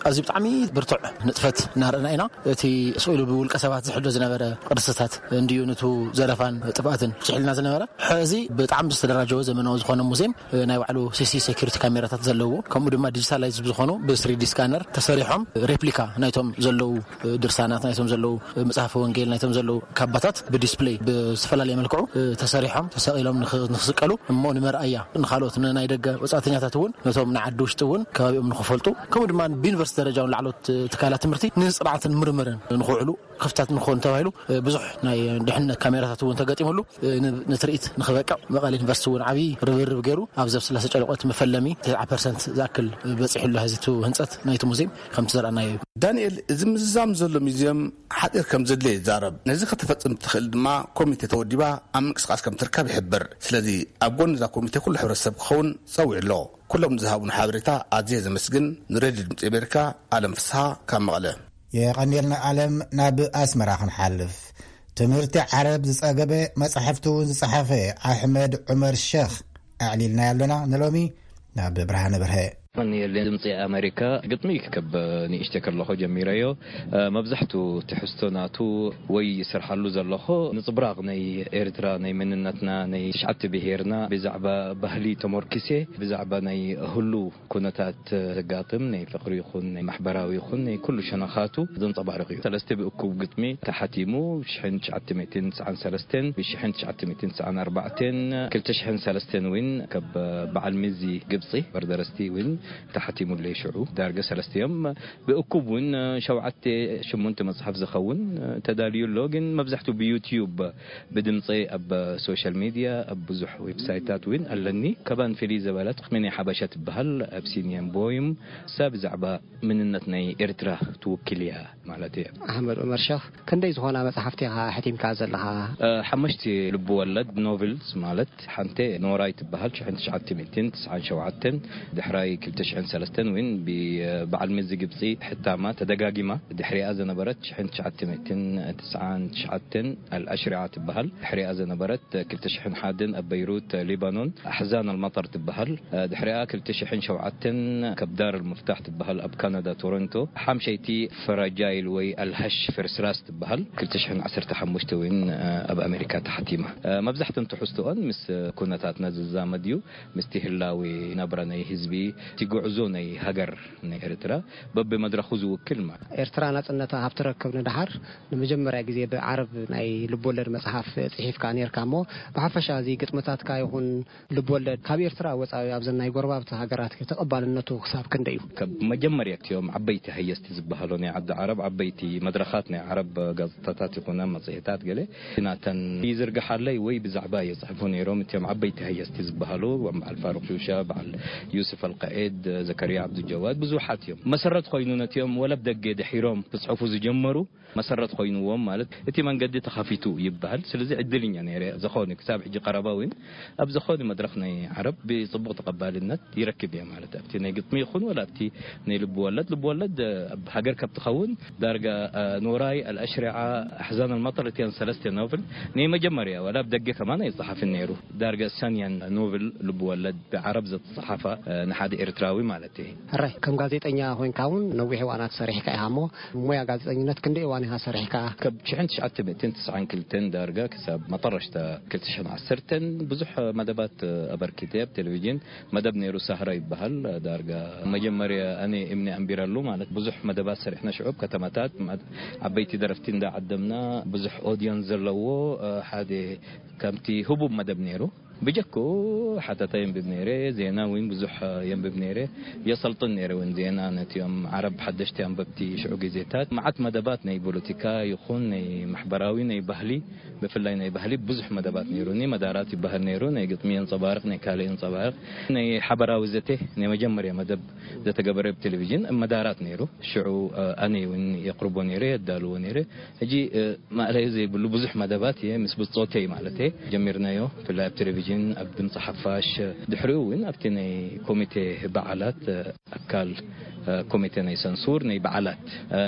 ኣዝዩ ብጣዕሚ ብርቱዕ ንጥፈት እናረእና ኢና። እቲ ስኢሉ ብውልቀ ሰባት ዝሕሎ ዝነበረ ቅርስታት እንድዩ፣ ንቱ ዘረፋን ጥፍኣትን ዝሕልና ዝነበረ። ሕዚ ብጣዕሚ ዝተደራጀወ ዘመናዊ ዝኾነ ሙዚየም፣ ናይ ባዕሉ ሲ ሲ ሴኩሪቲ ካሜራታት ዘለዎ፣ ከምኡ ድማ ዲጂታላይዝ ዝኾኑ ብ ስሪ ዲ ስካነር ተሰሪሖም፣ ሬፕሊካ ናይቶም ዘለዉ ድርሳናት፣ ናይቶም ዘለዉ መጽሓፈ ወንጌል፣ ናይቶም ዘለዉ ካባታት ብዲስፕሌይ ብዝፈላለየ መልክዑ ተሰሪሖም ተሰቒሎም ንኽ-፣ ንኽስቀሉ እሞ ንመርኣያ ንኻልኦት ንናይ ደገ ወጻእተኛታት እውን፣ ነቶም ንዓዲ ውሽጢ እውን ከባቢኦም ንኽፈልጡ፣ ከምኡ ድማ ብዩኒቨርሲቲ ደረጃ እውን ላዕለዎት ትካላት ትምህርቲ ንጽንዓትን ምርምርን ንኽውዕሉ ክፍታት ንክኾኑ ተባሂሉ ብዙሕ ናይ ድሕነት ካሜራታት እውን ተገጢሙሉ፣ ን-፣ ንትርኢት ንኽበቅዕ መቐለ ዩኒቨርሲቲ እውን ዓብዪ ርብርብ ገይሩ፣ ኣብዚ ኣብ ስላሴ ጨለቆት መፈለሚ ተስዓ ፐርሰንት ዝኣክል በፂሑሉ። ሕዚ እቲ ህንፀት ናይቲ ሙዚየም ከምቲ ዘርኣናዮ እዩ። ዳንኤል፣ እዚ ምዝዛም ዘሎ ሙዚየም ሓፂር ከም ዘድልዮ ይዛረብ። ነዚ ከተፈፅም ትኽእል ድማ ኮሚቴ ተወዲባ ኣብ ምንቅስቃስ ከም ትርከብ ይሕብር። ስለዚ ኣብ ጎኒ እዛ ኮሚቴ ኩሉ ሕብረተሰብ ክኸውን ፀዊዑ ኣሎ። ኩሎም ዝሃቡን ሓበሬታ ኣዝየ ዘመስግን። ንሬድዮ ድምፂ ኣሜሪካ፣ ኣለም ፍስሃ ካብ መቐለ። የቐንየልና ኣለም። ናብ ኣስመራ ክንሓልፍ። ትምህርቲ ዓረብ ዝጸገበ፣ መጻሕፍቲ እውን ዝጸሓፈ ኣሕመድ ዑመር ሸኽ ኣዕሊልና ያለና ንሎሚ። ናብ ብርሃነ በርሀ። የቐንየለይ ድምጺ ኣሜሪካ። ግጥሚ ካብ ንእሽተይ ከለኹ ጀሚረዮ። መብዛሕቱ ትሕዝቶ ናቱ ወይ ይሰርሓሉ ዘለኹ ንጽብራቕ ናይ ኤርትራ፣ ናይ መንነትና፣ ናይ ትሽዓተ ብሄርና ብዛዕባ ባህሊ ተመርኪሴ፣ ብዛዕባ ናይ ህሉ ኩነታት ዘጋጥም ናይ ፍቕሪ ይኹን ናይ ማሕበራዊ ይኹን ናይ ኩሉ ሸነኻቱ ዘንጸባርቕ እዩ። ሰለስተ ብእኩብ ግጥሚ ተሓቲሙ፣ ሽሕን ትሽዓተ ሚእትን ትስዓን ሰለስተን፣ ብሽሕን ትሽዓተ ሚእትን ትስዓን ኣርባዕተን፣ ክልተ ሽሕን ሰለስተን እውን ካብ በዓል ሚዚ ግብጺ በርደረስቲ እውን ተሓቲሙለይ። ሽዑ ዳርገ ሰለስተ እዮም። ብእኩብ እውን ሸውዓተ ሽሙንተ መጽሓፍ ዝኸውን ተዳልዩ ኣሎ። ግን መብዛሕቱ ብዩትዩብ ብድምፀይ ኣብ ሶሻል ሚድያ ኣብ ብዙሕ ዌብሳይታት እውን ኣለኒ። ካባን ፍልይ ዘበለት ምን ሓበሻ ትበሃል፣ ኣብሲኒየን ቦይም፣ እሳ ብዛዕባ መንነት ናይ ኤርትራ ትውክል እያ ማለት እየ። ኣሕመድ ዑመር ሸኽ፣ ክንደይ ዝኾና መጽሓፍቲ ኢኻ ኣሕቲምካ ዘለኻ? እ፣ ሓሙሽተ ልብወለድ ኖቨልስ ማለት ሓንቲ ኖራይ ትበሃል ሽሕን ትሽዓተ ሚእትን ትስዓን ሸውዓተን፣ ድሕራይ ክልተ ሽሕን ሰለስተን እውን ብበዓል መዚ ግብጺ ሕታማ ተደጋጊማ፣ ድሕሪኣ ዝነበረት ሽሕን ትሽዓተ ሚእትን ትስዓን ትሽዓተን ኣልኣሽሪዓ ትበሃል። ድሕሪኣ ዝነበረት ክልተ ሽሕን ሓደን ኣብ በይሩት ሊባኖን ኣሕዛን ኣልመጠር ትበሃል። ድሕሪኣ ክልተ ሽሕን ሸውዓተን ካብ ዳር ኣልሙፍታሕ ትበሃል ኣብ ካናዳ ቶሮንቶ። ሓምሸይቲ ፍራጃይል ወይ ኣልሃሽ ፍርስራስ ትበሃል ክልተ ሽሕን ዓሰርተ ሓሙሽተ እውን ኣብ ኣሜሪካ ተሓቲማ። መብዛሕተን ትሕዝቶኦን ምስ ኩነታትና ዝዛመድ እዩ። ምስቲ ህላዌ ናብራ ናይ ህዝቢ፣ እቲ ጉዕዞ ናይ ሃገር ናይ ኤርትራ በብመድረኹ ዝውክል ማለት። ኤርትራ ናጽነታ ካብ ትረክብ ንደሓር ንመጀመርያ ግዜ ብዓረብ ናይ ልብወለድ መጽሓፍ ጽሒፍካ ኔርካ እሞ፣ ብሓፈሻ እዚ ግጥምታትካ ይኹን ልብወለድ ካብ ኤርትራ ወጻኢ ኣብዘን ናይ ጎረባብቲ ሃገራት ተቐባልነቱ ክሳብ ክንደይ እዩ? ካብ መጀመርያ እቲኦም ዓበይቲ ሃየስቲ ዝበሃሉ ናይ ዓዲ ዓረብ፣ ዓበይቲ መድረኻት ናይ ዓረብ ጋዜጣታት ይኹና መጽሔታት ገለ ናተን ይዝርግሓለይ ወይ ብዛዕባ የጽሕፉ ነይሮም። እቲኦም ዓበይቲ ሃየስቲ ዝበሃሉ በዓል ፋሩቅ ሹሻ፣ በዓል ዩስፍ ኣልቃኤድ፣ ዘከርያ ዓብዱጀዋድ፣ ብዙሓት እዮም። መሰረት ኮይኑ ነቲኦም ወለብ ደገ ድሒሮም ክጽሕፉ ዝጀመሩ መሰረት ኮይንዎም፣ ማለት እቲ መንገዲ ተኸፊቱ ይበሃል። ስለዚ ዕድልኛ ነይረ ዝኾነ ክሳብ ሕጂ ቀረባ እውን ኣብ ዝኾነ መድረኽ ናይ ዓረብ ብጽቡቕ ተቐባልነት ይረክብ እየ፣ ማለት ኣብቲ ናይ ግጥሚ ይኹን ወላ ኣብቲ ናይ ልብ ወለድ። ልብ ወለድ ኣብ ሃገር ካብ ትኸውን ዳርጋ ኖራይ፣ ኣልኣሽሪዓ፣ ኣሕዛን ኣልመጠር እቲያን ሰለስተ ኖቨል ናይ መጀመርያ ወላ ኣብ ደገ ከማን ኣይጸሓፍን ነይሩ። ዳርጋ እሳን እያን ኖቨል ልብ ወለድ ብዓረብ ዘተጸሓፋ ንሓደ ኤርትራዊ ማለት እዩ። ሕራይ፣ ከም ጋዜጠኛ ኮይንካ እውን ነዊሕ እዋናት ሰሪሕካ ኢኻ እሞ፣ ሞያ ጋዜጠኝነት ክንደይ እዋን ኢኻ ሰሪሕካ? ካብ ሽሕን ትሽዓተ ሚእትን ትስዓን ክልተን ዳርጋ ክሳብ መጠረሽታ ክልተ ሽሕን ዓሰርተን ብዙሕ መደባት ኣበርኪተ። ኣብ ቴሌቪዥን መደብ ነይሩ፣ ሳህራ ይበሃል። ዳርጋ መጀመርያ ኣነ እምኒ ኣንቢረሉ፣ ማለት ብዙሕ መደባት ሰሪሕና ሽዑ ኣብ ከተማታት፣ ዓበይቲ ደረፍቲ እንዳዓደምና፣ ብዙሕ ኦድየንስ ዘለዎ ሓደ ከምቲ ህቡብ መደብ ነይሩ። ብጀክኡ ሓተታ የንብብ ነይረ፣ ዜና እውን ብዙሕ የንብብ ነይረ። የሰልጥን ነይረ እውን ዜና ነቲኦም ዓረብ ሓደሽቲ ኣንበብቲ ሽዑ ግዜታት። መዓት መደባት ናይ ፖለቲካ ይኹን ናይ ማሕበራዊ፣ ናይ ባህሊ፣ ብፍላይ ናይ ባህሊ ብዙሕ መደባት ነይሩኒ። መዳራት ይበሃል ነይሩ፣ ናይ ግጥሚ የንጸባርቕ፣ ናይ ካልእ የንጸባርቕ። ናይ ሓበራዊ ዘተ፣ ናይ መጀመርያ መደብ ዘተገበረ ብቴሌቪዥን መዳራት ነይሩ። ሽዑ ኣነ እውን የቕርቦ ነይረ፣ የዳልዎ ነይረ። ሕጂ ማእለዩ ዘይብሉ ብዙሕ መደባት እየ ምስ ብጾተይ ማለት እየ ጀሚርናዮ። ብፍላይ ኣብ ቴሌቪዥን፣ ኣብ ድምፂ ሓፋሽ፣ ድሕሪኡ እውን ኣብቲ ናይ ኮሚቴ በዓላት ኣካል ኮሚቴ ናይ ሰንሱር ናይ በዓላት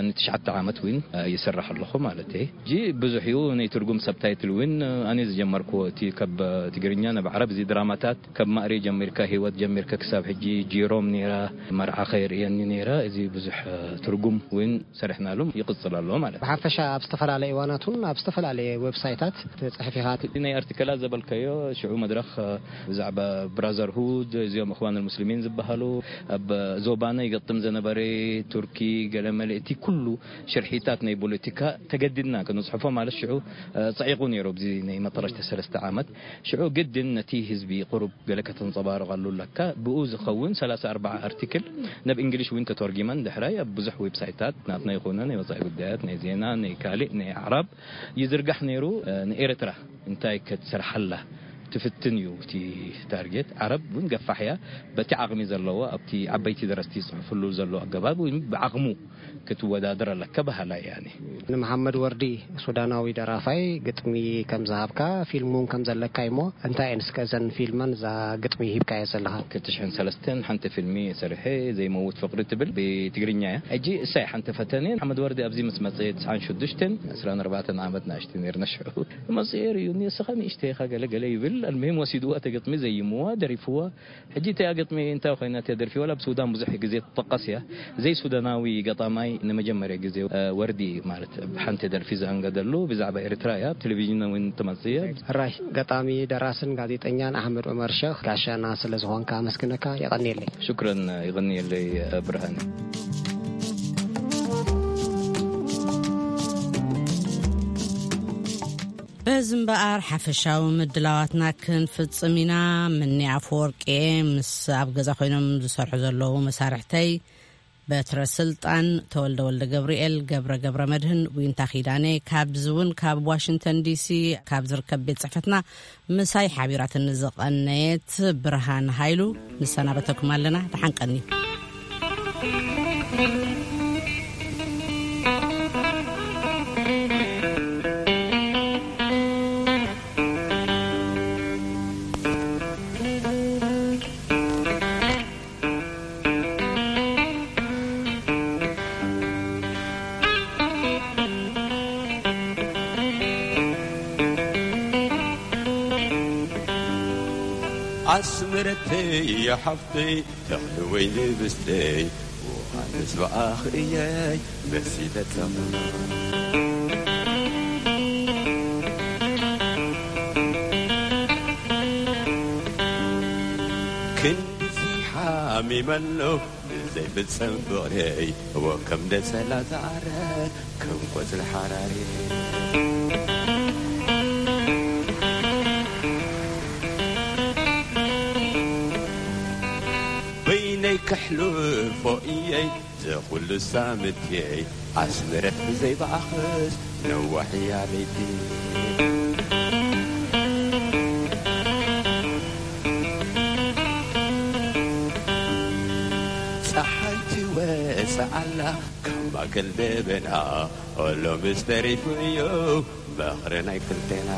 ንትሽዓተ ዓመት እውን ይሰርሕ ኣለኹ ማለት እየ። ሕጂ ብዙሕ እዩ ናይ ትርጉም ሰብታይትል እውን ኣነ ዝጀመርኩዎ፣ እቲ ካብ ትግርኛ ናብ ዓረብ እዚ ድራማታት ካብ ማእሪ ጀሚርካ፣ ህይወት ጀሚርካ ክሳብ ሕጂ፣ ጂሮም ነይራ፣ መርዓ ከየርእየኒ ነይራ። እዚ ብዙሕ ትርጉም እውን ሰሪሕናሉ ይቕጽል ኣሎ ማለት እዩ። ብሓፈሻ ኣብ ዝተፈላለየ እዋናት እውን ኣብ ዝተፈላለየ ዌብሳይታት ትጽሕፍ ኢኻ። እቲ ናይ ኣርቲከላት ዘበልካዮ ሽዑ መድረኽ ብዛዕባ ብራዘርሁድ፣ እዚኦም እኽዋን ሙስሊሚን ዝበሃሉ ኣብ ዞባና ይገጥም ዘነበረ ቱርኪ ገለ መለ እቲ ኩሉ ሽርሒታት ናይ ፖለቲካ ተገዲድና ክንጽሕፎ ማለት ሽዑ ጸዒቑ ነይሩ። ኣብዚ ናይ መጠረሽተ ሰለስተ ዓመት ሽዑ ግድን ነቲ ህዝቢ ቁሩብ ገለ ከተንጸባርቐሉ ኣለካ። ብኡ ዝኸውን ሰላሳ ኣርባዓ ኣርቲክል ናብ እንግሊሽ እውን ተተርጊመን ድሕራይ ኣብ ብዙሕ ዌብሳይታት ናትና ይኹነ ናይ ወጻኢ ጉዳያት፣ ናይ ዜና፣ ናይ ካልእ፣ ናይ ኣዕራብ ይዝርጋሕ ነይሩ። ንኤርትራ እንታይ ክትሰርሓላ ትፍትን እዩ እቲ ታርጌት። ዓረብ እውን ገፋሕ እያ። በቲ ዓቕሚ ዘለዎ ኣብቲ ዓበይቲ ደረስቲ ይጽሕፍሉ ዘሎ ኣገባብ እውን ብዓቕሙ ክትወዳደር ኣለካ በሃላይ እየ ኣነ። ንመሓመድ ወርዲ ሱዳናዊ ደራፋይ ግጥሚ ከም ዝሃብካ፣ ፊልም እውን ከም ዘለካ እሞ፣ እንታይ እየን እስከ እዘን ፊልመን እዛ ግጥሚ ሂብካዮ ዘለኻ? ክልተ ሽሕን ሰለስተን ሓንቲ ፊልሚ ሰሪሐ፣ ዘይመውት ፍቕሪ ትብል ብትግርኛ እያ። ሕጂ እሳይ ሓንቲ ፈተነ፣ መሓመድ ወርዲ ኣብዚ ምስ መጸ ትስዓን ሽዱሽተን፣ ዕስራን ኣርባዕተን ዓመት ንእሽተይ ነይርና ሽዑ። መጺኡ የርእዩኒ፣ "እስኻ ንእሽተይ ኢኻ ገለ ገለ" ይብል። ኣልሙሂም ወሲድዋ እታ ግጥሚ፣ ዘይምዋ፣ ደሪፍዋ። ሕጂ እቲኣ ግጥሚ እንታይ ኮይና እቲኣ ደርፊ? ዋላ ኣብ ሱዳን ብዙሕ ግዜ ትጠቀስ እያ። ዘይሱዳናዊ ገጣማይ ንመጀመርያ ግዜ፣ እ፣ ወርዲ ማለት ብሓንቲ ደርፊ ዘኣንገደሉ ብዛዕባ ኤርትራ እያ። ኣብ ቴሌቪዥን እውን ትመጽእ እያ። ሕራይ ገጣሚ፣ ደራስን ጋዜጠኛን ኣሕመድ ዑመር ሸኽ ጋሻና ስለ ዝኾንካ ኣመስግነካ። የቐንየለይ። ሽክረን፣ ይቐንየለይ ብርሃን። በዚ እምበኣር ሓፈሻዊ ምድላዋትና ክንፍጽም ኢና። ምኒ ኣፈወርቂ ምስ ኣብ ገዛ ኮይኖም ዝሰርሑ ዘለዉ መሳርሕተይ በትረ ስልጣን፣ ተወልደ ወልደ ገብርኤል፣ ገብረ ገብረ መድህን፣ ዊንታ ኪዳነ፣ ካብዚ እውን ካብ ዋሽንግተን ዲሲ ካብ ዝርከብ ቤት ጽሕፈትና ምሳይ ሓቢራትኒ ዝቐነየት ብርሃን ሃይሉ ንሰናበተኩም ኣለና። ደሓን ቀንዩ። ኣስመረተይ ሓፍተይ፣ ተኽሊ ወይኒ ብስተይ፣ ውሃ ምስባኣኽ እየይ መሲለ ጸምና። ክንድዚ ሓሚመ ኣሎ ብዘይፍጸም ፍቕረይ፣ እወ ከም ደጸላ ዝዓረ ከም ቆጽሊ ሓራሪ። በይነይ ከሕልፎ እየይ ዘኹሉ ሳምትየይ፣ ኣስመረት ብዘይ በኣኽስ ነዋሕ እያ ለይቲ። ካብ ማእከል ደበና፣ ኦሎ ምስ ተሪፉ እዩ ምኽሪ ናይ ክልቴና።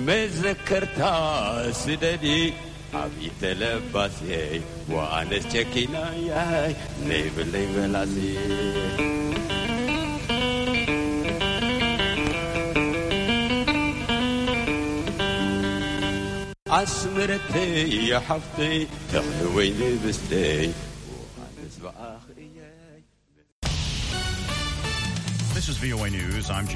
መዘከርታ ስደዲ ኣብ ኢተለባስየይ፣ ወኣነስ ጨኪናየይ ነይብለይ መላሲ። ኣስመረተይ ሓፍተይ፣ ተኽሊ ወይ ንብስተይ፣ ወኣነስ ብኣኽእየይ። This is V O A News. I'm